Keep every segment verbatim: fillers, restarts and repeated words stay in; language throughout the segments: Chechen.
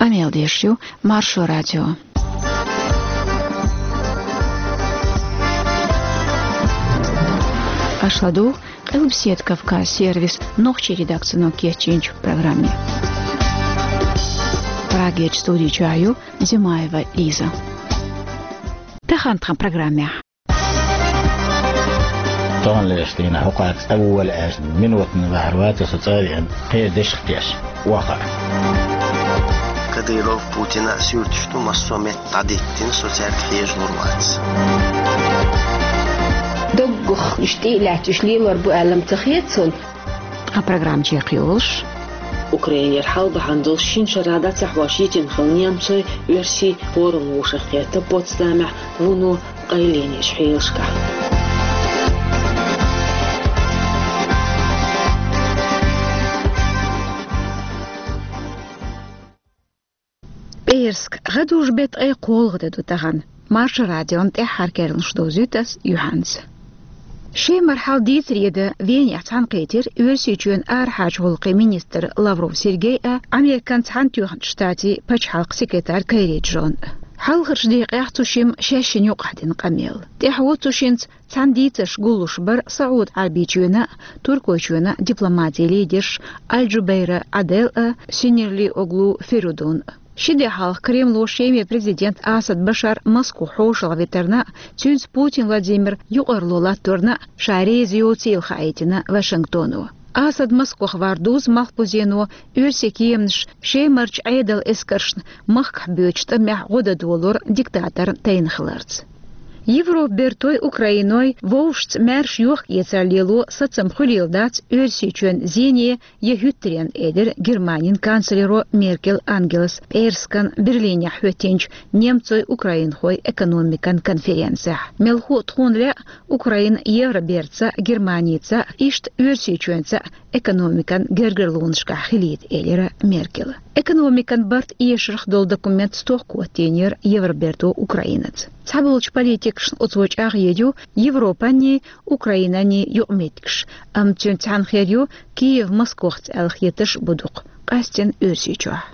Къамел деш ю Маршо радио. Аша ладугӀу Къилбаседа Кавказ сервисан нохчийн редакцино кечйинчу программе. Прагерчу студи чохь ю Зимаева Лиза. Тахана тхан программехь. Тахана леш дийна хӀокхаьрца тӀе вуьйла аьлла, минотана ваьхьар вац со цӀа а веана, кхин дешах теша, охьа. Кадыров, Путина а суьрташ ду, массо а метта дӀадиттина, со цаьрга хьежалур вац. Доггах уьш тӀе а лаьтташ лелор бу аьлла-м ца хета суна. Тхан программа чекхйолуш. Украинера хьалабахьана долуш шина шарахь дӀа ца хьош йитина хилла немцойн, оьрсийн форум вовшахкхетта Потсдамехь вуно къайленечу хьелашкахь. ПӀераска, гӀадужу-беттан ткъе кхоалгӀа де ду тахана. Маршо радион тӀаьххьара керланаш довзуьйту ас юьхьанца. Шемара хьал дийцаре дан Венехь цхьаьнакхийтира Оьрсийчоьнан арахьарчу гӀуллакхийн министр Лавров Сергей а, Американ Цхьаьнатоьхначу Штатийн пачхьалкхан секретарь Керри Джон а. Хьалхарчу декъехь цу шимма шаьшшинна юкъахь дина къамел. ТӀаьхьо цу шинца цхьаьна дийцарш гуллуш бара СаӀуд-Ӏаьрбийчоьнан а, Туркойчоьнан а дипломатийн лидерш Аль-Джубейра Ӏадел а, Синирли-оглу Феридун а. Ши де хьалха Кремло Шеман президент Асад Башар Москвахь хьошалгӀа витарна а, цуьнца Путин Владимир юкъарло латторна а ша реза йоцийла хаийтина Вашингтоно. Асад Москвахь вар дузу малхбузено оьрсийн кеманаш Шемарчу Ӏедалан эскаршна махкахь боьдучу тӀамехь гӀо дан долор диктаторна тайна хиларца. Европан бертой, Украиной вовшашца маьрша йохк-эцар лело сацам хуьлийла дац Оьрсийчоьнан зене я хӀуьттаренна, элира Германин канцлеро Меркель Ангелас пӀераскан Берлинехь хӀоьттинчу немцойн-украинхойн экономикан конференцехь. Мелхо а тхуна лаьа Украина Евробертаца а, Германица а, иштта Оьрсийчоьнца а экономикан гергарлонашкахь хилийта, элира Меркела. Экономикан барт эшарх долу документ стохка хӀоттийнера Евроберто Украинаца. Цхьаболчу политикашна оцо чӀагӀъян ю Европанний, Украинанний юкъаметтигаш, амма цуьнца цхьаьна хир ю Киев Москвахца аьлла хетарш а бу дукха, къаьсттина Оьрсийчохь.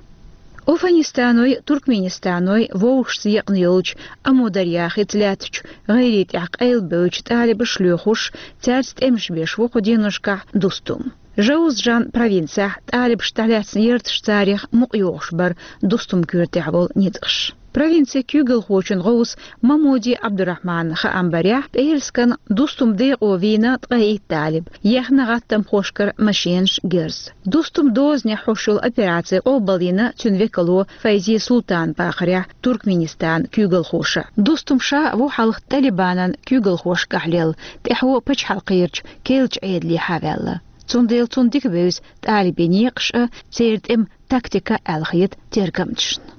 Афганистаной, Туркменистаной вовшашца екъна йолчу Амударья хица лаьттачу гӀайре тӀехь къайлабевллачу талибаша лоьхуш, цаьрца тӀемаш беш ву кху деношкахь Дустум. Жаузжан провинцехь талибашна тӀелаьцна ярташ, царех мукъайогӀуш бара Дустум коьртехь волу ницкъаш. Провинцин куьйгалхочун гӀовса Мамуди Абдурахманан хаам барехь, пӀераскан Дустум декъо вийна ткъе итт талиб, ехна гӀаттамхошкара машенаш, герз. Дустум дозанехь хьош йолу операци къобалйина цуьнан векало Файзи Султан бахарехь Туркменистанан куьйгалхоша. Дустум ша ву хьалха Талибанан куьйгалхошкахь лелла, тӀаьхьо пачхьалкхерчу керлачу Ӏедалехьа ваьлла. Цундела цунна дика бевза талибийн некъаш а, церан тӀеман тактика а аьлла хета тергамчашна.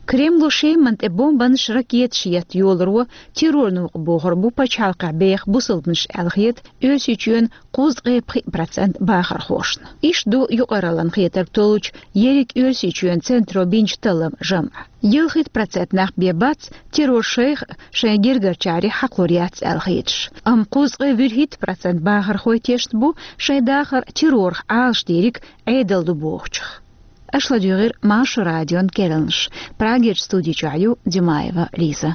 Кремло Шеман тӀе бомбанаш, ракеташ етта йоларо терроран новкъа бохур бу пачхьалкхехь беха бусалбанаш аьлла хета Оьрсийчоьнан кхузткъе пхиъ процент бахархошна. Иштта ду юкъараллин хетарг толлучу ерриг Оьрсийчоьнан центро бинчу талламан жамӀа. Ялхитта процент нах бен бац террор шайх а, шайн гергарчарех а хьакхалур яц аьлла хеташ. Амма кхузткъе вуьрхӀитта процент бахархой тешна бу шайн дахар террорах Ӏалашдийриг Ӏедал ду бохучух. Аша ладуьйгӀира Маршо радион керланаш. Прагерчу студи чохь ю Димаева Лиза.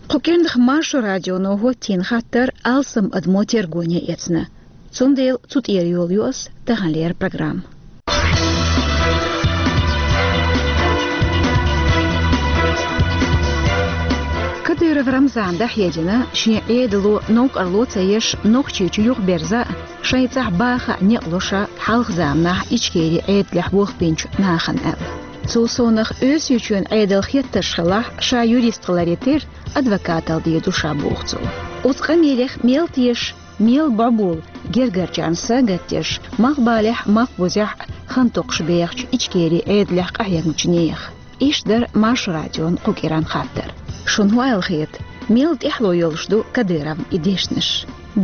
Кху кӀирнах Маршо радионо хӀоттийна хаттар алсам адамо тергоне эцна. Цундела цу тӀера йолу ю ас таханлера программа. Кадыров Рамзана дӀахьедина шен Ӏедало новкъарло ца еш Нохчийчу юхаберза а, шайн цӀахь баха а некъ ло ша хьалха заманахь Ичкерин Ӏедалехь болх бинчу нахана аьлла. Цул совнах Оьрсийчоьнан Ӏедалан хеттарш хилахь, ша юрист хиларе терра адвокаталла дийр ду ша, боху цо. Оцу къамелех мел теша, мел бӀобула гергарчарна са а гатдеш, малхбалехь а, малхбузехь а хан токхуш бехачу Ичкерин Ӏедалехь къахьегначу нехан? Иштта дара Маршо радион кху кӀиран хаттар. Шуна хӀун аьлла хета, мел тӀаьхьало йолуш ду Кадыровн и дешнаш?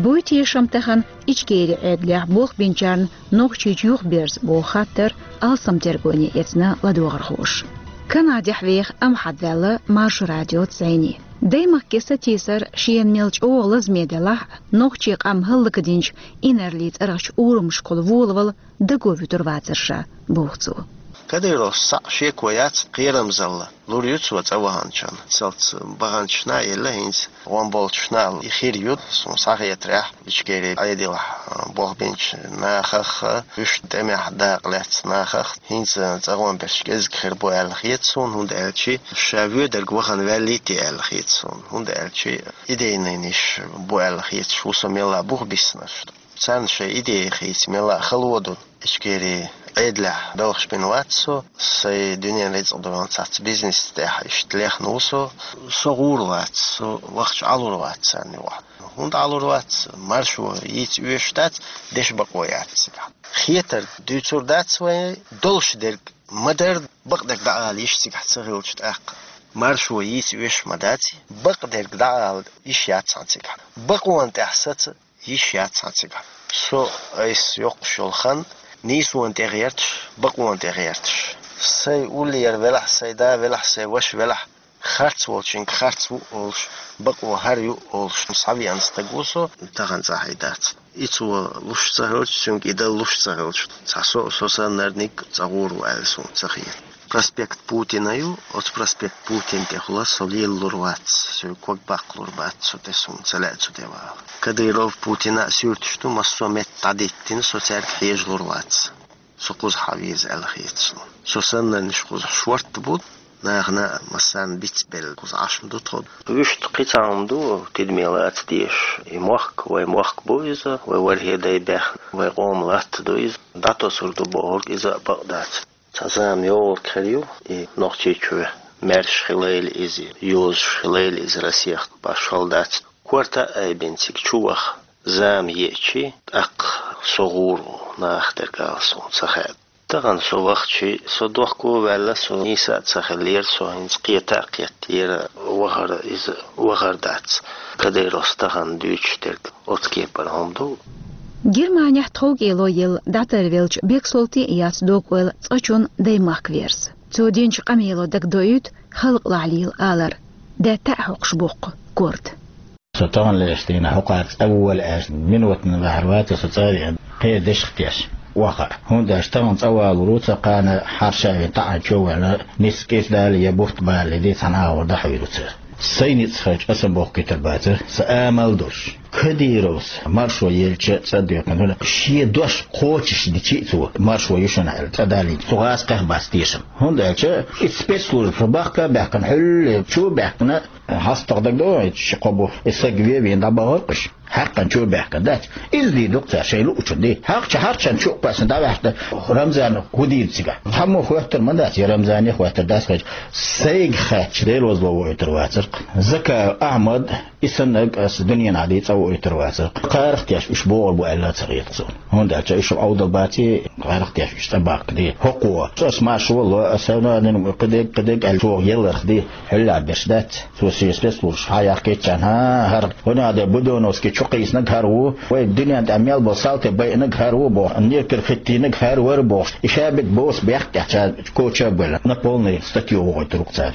Буй тешам тахана Ичкерин Ӏедалехь болх бинчарна Нохчийчу юхаберза, боху хаттар алсам тергоне эцна ладогӀархоша. Канадехь веха Амхьад ваьлла Маршо радиоца зӀене. Даймахке сатийсар шена мел чӀогӀа лазаме делахь а, нохчийн къам хӀаллакдинчу инарлин цӀарахчу урамашкахула волавала даго вуьтур вацара ша, боху цо. Кадыровс цхьаъ шеко яц, кхерамзалла лур ю цо цӀа ваханчунна. Цалц баханчашна а елла, хӀинца гӀон болчашна а и хир ю, суна схьахетарехь, Ичкери Ӏедалехь болх бинчу нахах а, уьш тӀемехь дакъа лаьцна нахах а, хӀинца цӀа гӀон берш кӀезиг хир бу аьлла хета суна, хӀунда аьлча ша воьдург вахана ваьллий те аьлла хета суна, хӀунда аьлча идейнаш бу аьлла хеташ ву со мелла а бух биснарш. Царна шайн идея хийца мелла а хало ду. Ичкери Ӏедалехь белхаш бина вац со, сайн дуьненан рицкъ долу цхьацца бизнес тӀехь иштта лехна ву со. Со гӀур вац, со вахча Ӏалур вац царна юкъахь. ХӀунда Ӏалур вац? Маршо йийца оьшуш дац, дешан бакъо яц цигахь. Хетарг дуьйцур дац вайн, долуш дерг ма-дарра, бакъдерг дӀаала йиш цигахь ца хилча тӀаккха. Маршо йийца оьшуш ма дац, бакъдерг дӀаала йиш яц цхьана цигахь. Бакъонан тӀехь саца йиш яц цхьана цигахь. Со айса йоккхуш йолу хан нийсонан тӀе гӀерташ, бакъонан тӀе гӀерташ. Сайн уллера велахь, сайн да велахь, сайн ваша велахь, харц волчуьнга харц ву олуш, бакъо хӀара ю олуш схьавеана стаг ву со, тахана цӀахь и дац. И цо луш ца хилча, цуьнга и дала луш ца хилча, цхьа со, со саннарниг цӀа гӀур ву аьлла суна ца хета. Проспект Путина ю, оцу проспект Путина тӀехула со лелалур вац, соьга ког баккхалур бац, со тӀе суна ца лаьа цу тӀе вала. Кадыров, Путина а суьрташ ду, массо а метта дӀадиттина, со цаьрга хьежалур вац. Со кхузахь веза аьлла хета суна. Со саннарнаш кхузахь шортта бу, нахана а массарна бицбелла кхуза Ӏаш ма ду тхо. Вуьшта кхин цхьа хӀума ду, тидаме лаца дезаш. И мохк, вай мохк бу иза, вай ворхӀе дай баьхна, вай къоман латта ду иза. ДӀатосур ду бохург иза а бакъ дац. Цхьа зама йогӀург хир ю, и Нохчийчоь маьрша хилийла иза, йозуш хилийла иза Россехь, башхалла дац. Корта а айбина цига чу ваха, зама еачи, тӀаккха со гӀур ву, нахах дерг ала суна ца хаьа. Тахана со вахчи, со дохко а ваьлла, со нийса а ца хиллера, со хӀинца кхета а кхеттера, вахар иза вахар дац. Кадыровс тахана дуьйцуш дерг оцу кепара хӀума ду. Германехь тховкӀело елла дӀатарвелча Бексолтин а яц дог-ойла цкъачунна даймахка верза. Цо динчу къамело дагадоуьйту халкъалахь лела алар, даьтта а хьокхуш боккху корта. Со тахана лаьцна дийнахь хӀокхара цӀа вола аьлла, минотана ваьхьар вац со цӀа а веана, кхин дешах теш ваха. ХӀунда аьлча тахана цӀа валур ву, ца кхана хьарша а веана, таӀана чу а ваьлла, ницкъ кӀезиг дале я бутт балале, дийца цхьана агӀор дӀахьуьйр ву цара. Сайн ницкъ хилча, аса бохкийтар бацара, сан амал а долуш. Кадыровс маршо елча цӀа доькхина, шен дош кхочуш дичи а цо, маршо ю шуна аьлла, цӀа далийча, цу гӀазкхех бац тешам. ХӀунда аьлча и спецслужба бахка а баьхкина, хьуьлле чу а баьхкина, хьастагӀа дагадогӀий, ши-кхо бу и саг вен-вен дӀабахара уьш. Хьаькхна чу а баьхкина дац. Иза дийр ду-кх цара шайн луучунна де. ХьагӀча хьарчанна чу а кхоьссина дӀаваьхкина, Рамзана хӀун дийр ду цигахь? Цхьаммо хоьттур ма дац, я Рамзане хоьттур дац хезча. Сайга хаьттича, Делозло войтур вацара-кх. Закаев Ахьмад, и саннарг аса дуьненахь дийца а войтур вацара-кх. Кхарах теш уьш богӀур бу аьлла а ца хета-кх суна. ХӀунда аьлча уьш Ӏовдал баций, кхарах теш уьш цӀа баккха де. ХӀокхо, аса маршо валло, аса хӀун а дина, кхидерг, кхидерг аьлла чӀогӀа елларх де. Хьуьллахь берш дац. Цо шен спецслужбаш хьа яхкиччан, хӀан, хӀара, хӀуна а де Будённовский чу кхийсинарг хӀара ву, вай дуьнен тӀехь мел болу салти байинарг хӀара ву боху, некер хӀиттийнарг хӀара вара бохуш, и шаберг боса бехк тӀехь ца коча а бевлла, на полный статью вохуьйтур ву-кх цара.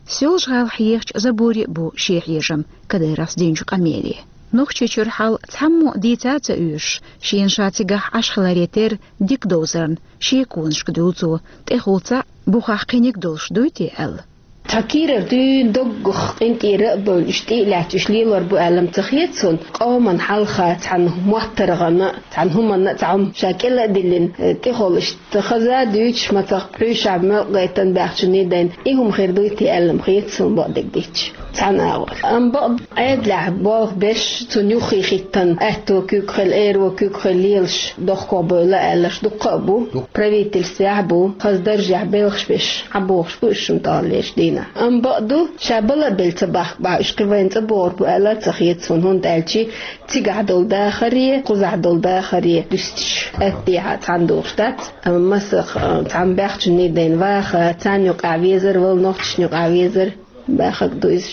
Соьлжа-ГӀалахь ехачу забуре а бу шен хьежам Кадыровс динчу къамеле. Нохчийчуьра хьал цхьаммо а дийца а ца оьшуш, шена ша цигахь Ӏаш хиларе терра дика довзарна, шеконашка дуьллу цо, тӀехула цхьаъ, бухахь кхиниг долуш дуй те аьлла. Цхьа кийрара дуьйна доггах къинтӀера а бевлла, уьш тӀе а лаьцна, уьш лелор бу аьлла-м ца хета суна, къоман хьалха цхьана моттаргӀана а, цхьана хӀуманна а цхьа хӀума ша кӀела а диллина, тӀехула иштта хаза а дуьйцуш, мацах пхьуьйшахь мелкъа гайтина баьхчунний дайна, и хӀума хир дуй те аьлла-м хета суна, бакъдерг дийцича, цхьана агӀор. Амма бакъ Ӏедалехь болх беш, цунна юххе хӀиттина, аьтто куьг хила, эро куьг хила лелаш, дохко бевлла аьлларш дуккха а бу. Правительствехь а бу, хаза даржехь белхаш беш, Ӏабохуш бу уьш шуна таханлерчу дийнахь. Амма бакъ ду, ша бала а белла ца бахка бахь, уьш кхин вайна цӀа богӀур бу аьлла а ца хета суна, хӀунда аьлча цигахь долу дахаре, кхузахь долу дахаре дуьстича, аьттехьа цхьаьна духуш дац. Амма масех, а, цхьана баьхчунний дайна ваха, царна юкъахь везар, вала нохчашна юкъахь везар, баьхнарг ду иза.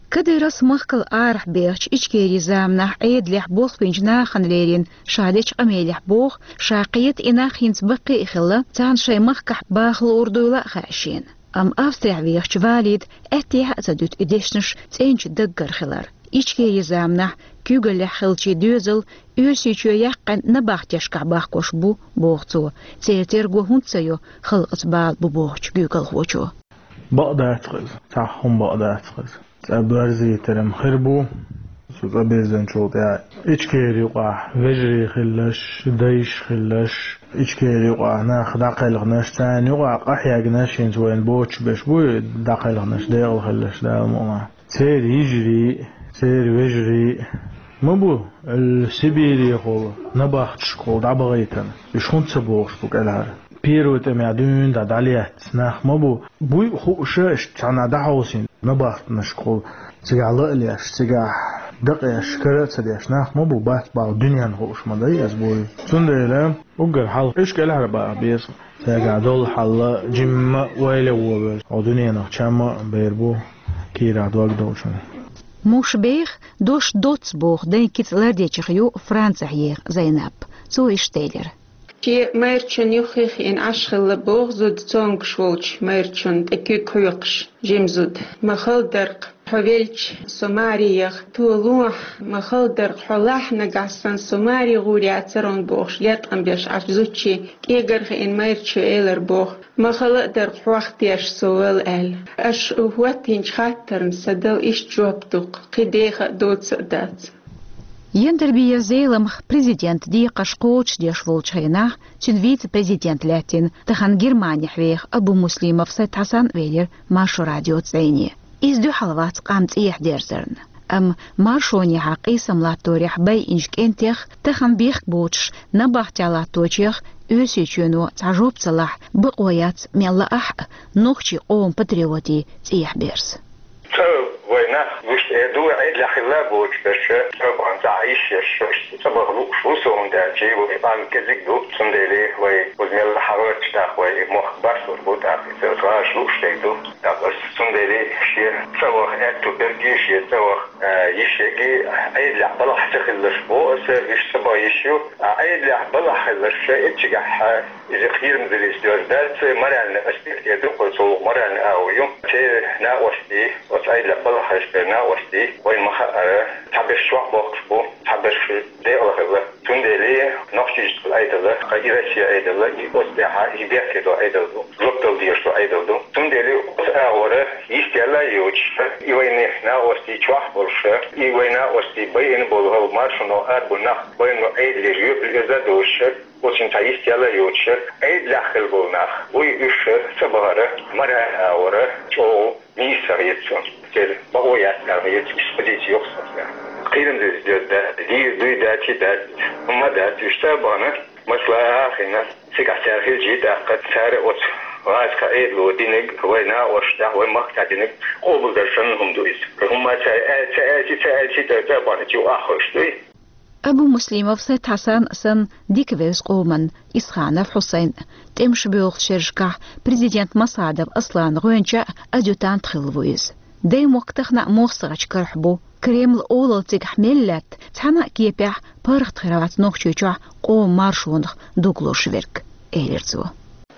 Кадыровс махкал арахь бехачу Ичкерин заманахь Ӏедалехь болх бинчу нахана лерина ша дечу къамелехь боху, ша кхета и нах хӀинца баккхий а хилла, царна шайн махкахь баха луур дуйла а хаьа шена. Амма Австрехь вехача Валида аьттехьа а ца дуьту и дешнаш цӀенчу даггара хилар. Ичкерин заманахь куьйгаллехь хиллачийн доьзал Оьрсийчоь яьккхина набахтешкахь бахкош бу, боху цо. Церан терго хӀунда ца йо халкъаца бала бу бохучу куьйгалхочо? Бакъ дац-кх иза, цхьа хӀума бакъ дац-кх иза. ЦӀа боьрзийтар-м хир бу. Цу цӀа бирзинчул тӀаьхьа Ичкерин юкъахь вежарий хилларш, дайш хилларш, Ичкерин юкъахь нах дӀакхелхинарш, царна юкъахь къахьегнарш, хӀинца вайна боцуш берш бу и дӀакхелхинарш, декъала хилларш, Дала мукъ лахь. Церан йижарий, церан вежарий ма бу, Сибирехула, набахташкахула дӀабахийтина. Уьш хӀунда ца бохуш бу кӀелхьара? Первый тӀамехь дуьйна дӀа дӀалецна нах ма бу. Буй а хууш, иштта цхьана дӀахьовсийна набахтанашкахула, цигахь ла а леш, цигахь дакъеш, кара а ца деш нах ма бу, бац бала дуьненна хууш ма дай иза буй. Цундела уггар хьалха уьш кӀелхьара баха беза. Цигахь долу хьал жимма а ойла а вон вевза, хьо дуьненах чам а бер бу, кийрахь дог долчунна. Муш беха, дош доцца боху дайн кица лардечех ю Францехь еха Зайнап. Цо иштта элира. Шен майрачун юххе хиъна Ӏаш хилла боху зуда цомгуш волчу майрачунна тӀе куьг хьоькхуш, жима зуда. Ма хала дара-кх, хьо велча, со маре яха, тхо лохьа, ма хала дара-кх, хьо лахь, нагахь санна со маре гӀур яцара хьуна бохуш, леткъам беш Ӏаш зудчун кӀегар хиъна майрачо элира боху. Ма хала а дара-кх, хьох теш со вала аьлла. Аша хӀоттийначу хаттарна сан дала иштта жоп ду-кх, кхин деха а, доцца а дац. Яндарбиев Зеламха президентан декхарш кхочушдеш волчу хенахь, цуьнан вице-президент лаьттина, тахана Германехь веха Абумуслимов Сайд-Хьасан а велира Маршо радиоца цӀайне. Иза дуьхьал вац къам цӀехьа дерзарна. Амма маршонехьа къийсам латторехь байинчу кӀентех, тахана бехк боцуш набахтехь латточех Оьрсийчоьно цхьа жоп ца лахь, бакъо яц, мел лаахь а, нохчийн къоман патриотийн цӀехьа берза. Цкъа вай нах гуш тӀе ду, Ӏедалехь хилла боцуш берш, цкъа бахьана цхьа йиш еш, цкъа баха лууш ву со, хӀунда аьлча вай къам кӀезиг ду, цундела вай оцу мелла хьагӀарчу тӀаккха вай мохк барсур бу тӀаккха, иза гӀаш лууш дерг ду. ТӀаккха аса цундела шен цӀа ваха аьтту берг, шен цӀа ваха, а, йиш ерг, Ӏедалехь балахь ца хиларш боху аса, уьш цӀа баха йиш ю. А Ӏедалехь балахь хиларш эццигахь, иза кхерамзаллица доьзна дац, моральный аспект эр ду кхуза, цо моральный агӀо ю. Церан накъостий, оцу Ӏедалехь балахь хилча берш накъостий, вайна ма-хаъара, цхьаберш чохь бохкуш бу, цхьаберш декъала хилла. Цундела Нохчийчоьнан Ӏедал, кху и Россин Ӏедал, и оцу тӀехь, и бехке долу Ӏедал ду, жоп дала дезаш долу Ӏедал ду. Цундела оцу агӀор йистехь а йоцуш, и вайна накъостий чохь болуш, и вайна накъостий байина болу хӀара маршонал арабу нах, байина Ӏедалера жоьпалла оза а доцуш, оцунна цхьа йистехь а йоцуш, Ӏедалехь хилла болу нах, вай уьш цӀа бахара, моральный агӀор чӀогӀа нийса хета суна. Церан бакъо яц аьлла хета, уьш позици йоккха ю суна. Кхерамзаллица доьзна дац, дийр дуй дац, и дац, хӀумма дац, уьш цӀа а бахана, масала а хиъна, цигахь цара хилча тӀаккха, цара оцу гӀазкхийн Ӏедало динарг, вай накъосташна тӀехь, вай махкахь динарг къобалдара санна хӀума ду иза. ХӀумма цара аьлла, ца аьлча, ца аьлча, цара цӀа а бахана, чу аххуьйсуш дуй. Абумуслимов Сайд-Хьасан а санна, дика вевза къоманна Исханов Хьусайн а. ТӀемаш боьлхучу шерашкахь президент Масхадов Асланан гӀоьнча а, адъютант хилла ву иза. Даймохк тахана а моссаргӀачу карахь бу. Кремлан олалла цигахь мел лаьтта, цхьана а кепехь паргӀат хир вац Нохчийчохь къоман маршонах дугалуш верг, элира цо.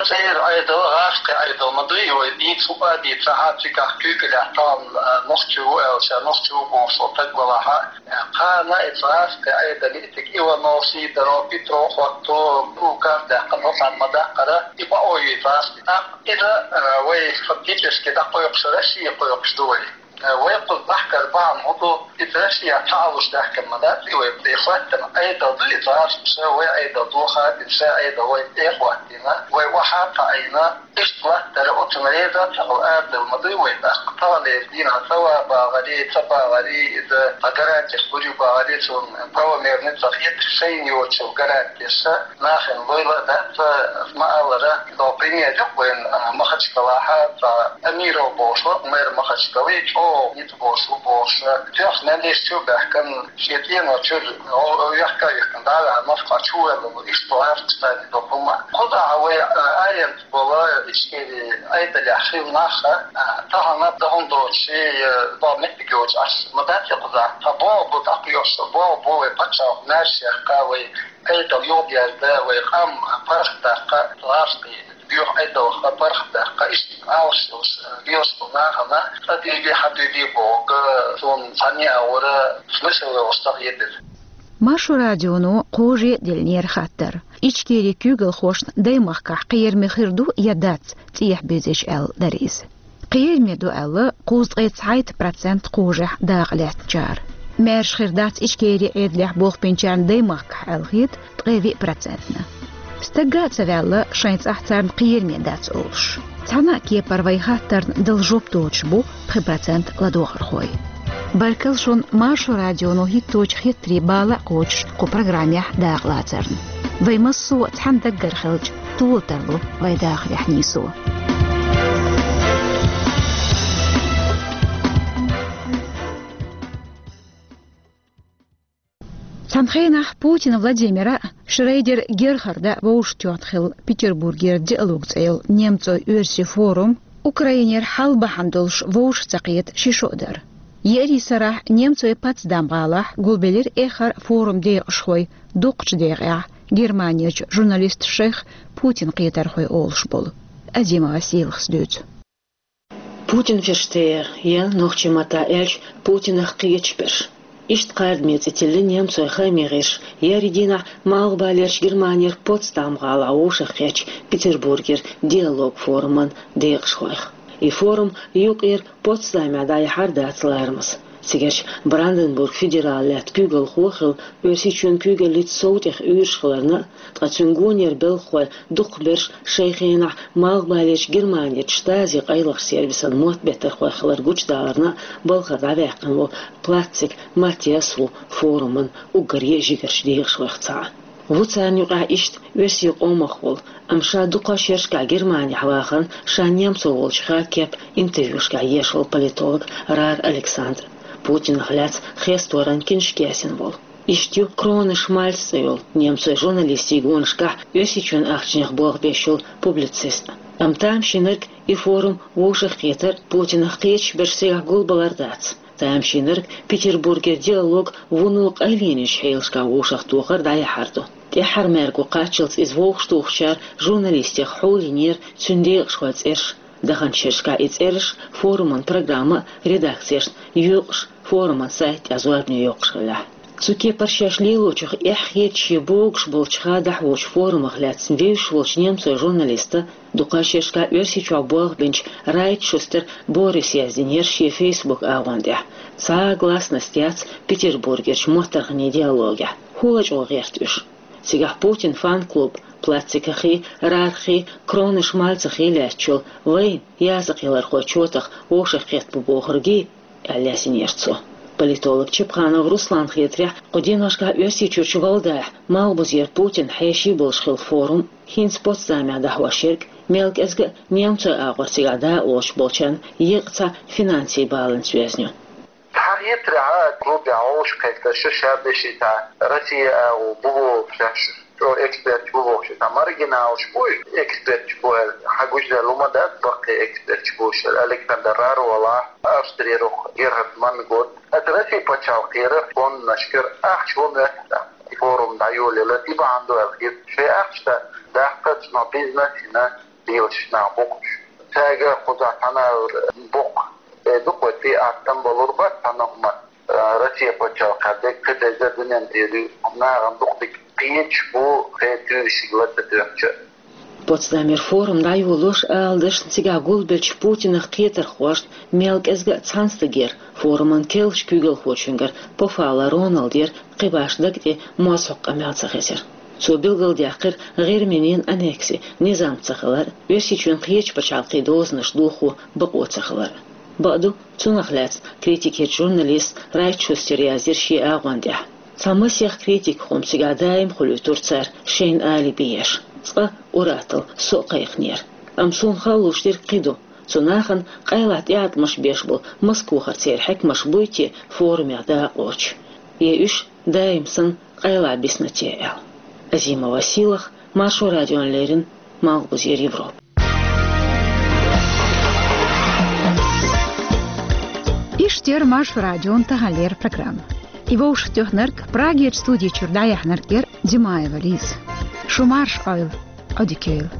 Церан Ӏедал, гӀазкхийн Ӏедал ма дуй, вай дийца а дийцахь, цигахь куьйгаллехь тахана, а, нохчи ву аьлча, нохчи ву бохуш волу стаг валахь а, кхана и гӀазкхийн Ӏедале и тӀе Иванов, Сидоров, Петров хӀотто, указ даьккхина, цхьаьна ма даккхара, и бакъо ю и гӀазкхийн. ТӀаккха иза, а, вай фактически дӀакхойкхуш, Россия кхойкхуш ду вай. Вай кхуза бахкар бахьана хӀун ду, иза Россия цхьаалуш даьхкина ма дац, и вай тӀе хӀоьттина Ӏедал ду, и гӀазкхаша вай Ӏедал дохадина, ша Ӏедал вай тӀе а хӀоттийна, вай охьа а кхаийна, иштта латтара оцунна реза а ца хилла арадала ма дуй вай тӀаккха. Таханлера дийнахь ца ван багӀаре, ца багӀаре, иза цхьа гарантеш лур ю багӀаре, цунна правомерный ца хеташ, шайна йоцучул гарантеша, нахана лойла а дац, аса ма-аллара, цо пример ю вайн, а, Махачкалахь, цхьа Амиров бохуш вара, мэр Махачкалы, чӀогӀа ницкъ болуш ву бохуш, тоьхна мел йиш чу а баьхкина, шен цӀено чуьра, о, о, вехка а вехкина, дӀа а ваьхьна, Москва чу а воьллина, иштта гӀазкхаша царна долу хӀума. Кхузахь вай, а, аренда болу Ичкери Ӏедалехь хилла нах, а, тахана дан хӀума доцуш, э, боху меттиг йоцуш, аш ма дац и кхузахь. Цхьа боху бу дӀакхоьхьуш, боху бу вай пачхьалкх маьрша яккха, вай Ӏедал юхадерза, вай къам паргӀатдаккха, гӀазкхий Юха Ӏедалах паргӀатдаккха, иштта Ӏалашдалаш лелаш нахана къа дуьйде, хьа дуьйде бохург, суна цхьанне а вара смысл йолаш ца хетар. Маршо радионо кхожа а деллера хаттар. Ичкерий куьйгалхошна даймахкахь кхераме хир ду я дац, цӀехьа безаш аьлла дара иза. Кхераме ду аьлла, кхузткъе цхьайтта процент кхожахь дакъа лаьцначара. Маьрша хир дац Ичкерий Ӏедалехь болх бинчарна даймахкахь аьлла хета ткъе виъ процентна. Стагга а ца ваьлла, шайн цӀахь царна кхераме дац олуш. Цхьана а кепара вай хаттарна дала жоп доцуш бу пхи процент ладогӀархой. Баркалла шуна Маршо радионо хӀитточу хеттарийн бала а кхочуш кху программехь дакъалацарна. Вай массо а цхьана даггара хилча, тола тарло вай дахарехь нийсо. Цхьана хенахь Путин Владимира, Шрейдер Герхарда вовшахтоьхна хилла Петербургера «Диалог» цӀе йолу немцойн-оьрсийн форум Украинера хьал бахьана долуш вовшах ца кхета ши шо а дара. Еарин сарахь немцойн Потсдам-гӀалахь гулбелира эххар форум декъашхой дукхачу декъехь Германерчу журналисташех Путин кхетархой олуш болу. Азимова Сийлахас дуьйцу. Путин Ферштейер, я нохчийн маттахь аьлча, Путинах кхеташ берш. Иштта кхардаме цӀе тиллина немцойн хааман гӀирсаша еарин дийнахь Малхбалерчу Германера Потсдам-гӀалахь вовшахкхеттачу Петербургера «Диалог» форуман декъашхойх. И форум юкъара Потсдамехь дӀаяхьар дац ларамаза. Цигарчу Бранденбург федералан лаьттан куьйгалхо а хилла, Оьрсийчоьнан куьйгаллица сов тӀех уьйраш хиларна а, ткъа цуьнан гонера белхахой дукхахберш шайн хенахь Малхбалерчу Германерчу штази къайлахчу сервисан мотт беттархой хилар гучудаларна а балхара дӀаваьккхина волу Платциг Маттиас ву форуман уггаре а жигарчу декъашхойх цхьаъ. Ву царна юкъахь иштта оьрсийн къомах волу, амма ша дукха шерашкахь Германехь вахана, ша немцо волчу хьаккеп интервьюшкахь еш волу политолог Раар Александр, Путинах лаьцна хесторан киншка яздина волу. Иштта ю Кроне Шмальц цӀе йолу немцойн журналистийн гонашкахь Оьрсийчоьнан ахчанех болх беш йолу публицист. Амма тамашийнарг и форум вовшахкхетар Путинах кхеташ берш цигахь гулбалар дац. Тамашийнарг Петербургера «Диалог» вуно къайленечу хьелашкахь вовшахтохар дӀаяхьар ду. ТӀаьххьара маьрго кхаччалц иза вовшахтухучара журналистех хьулйинера цуьнан декъашхойн цӀераш. Даханчу шерашкахь и цӀераш, форуман программа а редакцешна йоькъуш, форуман сайта тӀехь зорбане йоккхуш хиллехь. Цу кепара шаьш лелочух эхь хеташ я богуш болчу хадахь воцчу форумах лаьцна вевзаш волчу немцойн журналиста, дукха шерашкахь Оьрсийчохь болх бинчу Райтшустер Бориса яздинера шен Facebook агӀон тӀехь: «Цхьа а гласность яц Петербургерчу моттаргӀанийн диалогехь. ХӀун лачкъо гӀерта уьш?» Цигахь Путин фан-клуб Платцигаххий, Раарххий, Кроне Шмальцаххий лаьтташ йолу, вайн, языкъялархойн чотах вовшахкхетта бу бохургий, аьлла яздинера цо. Политолог Чепханов Русланна хетарехь, кху деношкахь Оьрсийчуьрчу Валдайхь, Малхбузера Путинан хьеший болуш хилла форум, хӀинца Потсдамехь дӀахьош ерг, мел кӀезга а немцойн агӀор цигахь дакъалоцуш болчарна еккъа цхьа финансийн баланс йоьзна ю. Цхьа хетарехь, клубехь вовшахкхетарш ша бешийтахь, Россия агӀо бу бохуш, шаьш чӀогӀа эксперташ бу бохуш, цхьа маргиналаш бу, эксперташ бу аьлла, хьан гучудаьлла хӀума дац, баккхий эксперташ бу шаьш, Александр Раар волахь, Австрера Герхард Манн гуш. Аса Россин пачхьалкхера фондашкара ахча вон ваьхна, форум дӀайолийла, и бахьана ду аьлла хета. Шайн ахча даккха цунах бизнес йина лелаш нах бу-кх уьш. Цаьрга кхузахь цхьана а боккха, э, дукха тӀе аттам балур бац цхьана хӀума, э, Россин пачхьалкхехь дерг кхидерза дуьненна тӀера ю, нахана дукха дика кхеташ бу, кхин туьйсиг ла ца тоьхча. Потсдамера форум дӀайолош, ала дашна, цигахь гулбеллачу Путинах кхетархошна мел кӀезга а цхьана стагера, форуман керлачу куьйгалхочуьнгара Пофалла Роналдера кхин башха даг тӀе моза хьокху къамел ца хезира. Цо билгалдаьккхира ГӀирминин аннекси, низам ца хилар, Оьрсийчоьнан кхечу пачхьалкхийн дозанаш дохо бакъо ца хилар. Бакъду, цунах лаьцна критикерчу журналиста Райтшустера яздира шен агӀон тӀехь: «Цхьа масех критикан хӀума цигахь даим хуьлуьйтура цара, шайна алиби еш. Цкъа ур-атталла со а кхайкхинера. Амма суна хала луш дерг кхин ду: цу нахана къайлаха тӀеӀаткъамаш беш болу Москвахара церан хьаькамаш буй те форумехь дакъалоцуш? Я уьш даим санна къайлаха бисна те?» — аьлла. Азимова Сийлаха, Маршо радиона леррина, Малхбузера Европа. Иштта яра Маршо радион таханлера программа. И вовшахтоьхнарг, Прагерчу студи чуьра дӀаяьхьнарг яра Димаева Лиза. Шу марша Ӏойла, Ӏодика йойла.